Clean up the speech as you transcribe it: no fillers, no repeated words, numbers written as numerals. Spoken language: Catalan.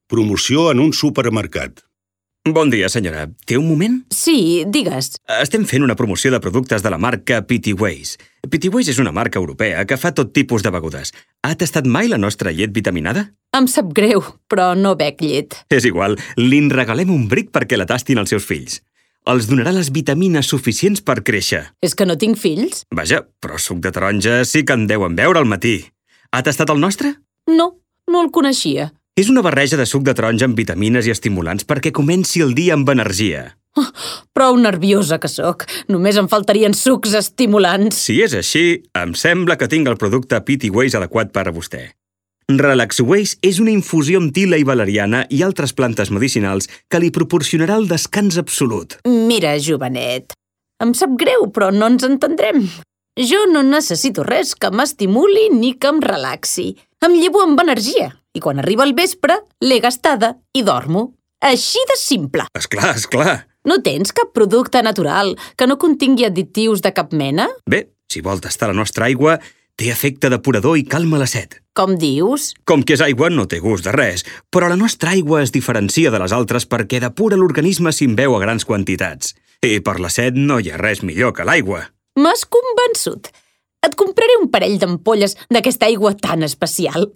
Promoció en un supermercat. Bon dia, senyora. Té un moment? Sí, digues. Estem fent una promoció de productes de la marca Petty Ways. Petty Ways és una marca europea que fa tot tipus de begudes. Ha tastat mai la nostra llet vitaminada? Em sap greu, però no bec llet. És igual, li'n regalem un bric perquè la tastin els seus fills. Els donarà les vitamines suficients per créixer. És que no tinc fills? Vaja, però suc de taronja sí que en deuen beure al matí. Ha tastat el nostre? No, no el coneixia. És una barreja de suc de taronja amb vitamines i estimulants perquè comenci el dia amb energia. Prou nerviosa que sóc. Només em faltarien sucs estimulants. Si és així, em sembla que tinc el producte Petty Ways adequat per a vostè. Relax Ways és una infusió amb tila i valeriana i altres plantes medicinals que li proporcionarà el descans absolut. Mira, jovenet, em sap greu, però no ens entendrem. Jo no necessito res que m'estimuli ni que em relaxi. Em llevo amb energia i quan arriba el vespre l'he gastada i dormo. Així de simple. Esclar, esclar. No tens cap producte natural que no contingui additius de cap mena? Bé, si vol tastar la nostra aigua, té efecte depurador i calma la set. Com dius? Com que és aigua, no té gust de res, però la nostra aigua es diferencia de les altres perquè depura l'organisme si en beu a grans quantitats. I per la set no hi ha res millor que l'aigua. M'has convençut. Et compraré un parell d'ampolles d'aquesta aigua tan especial.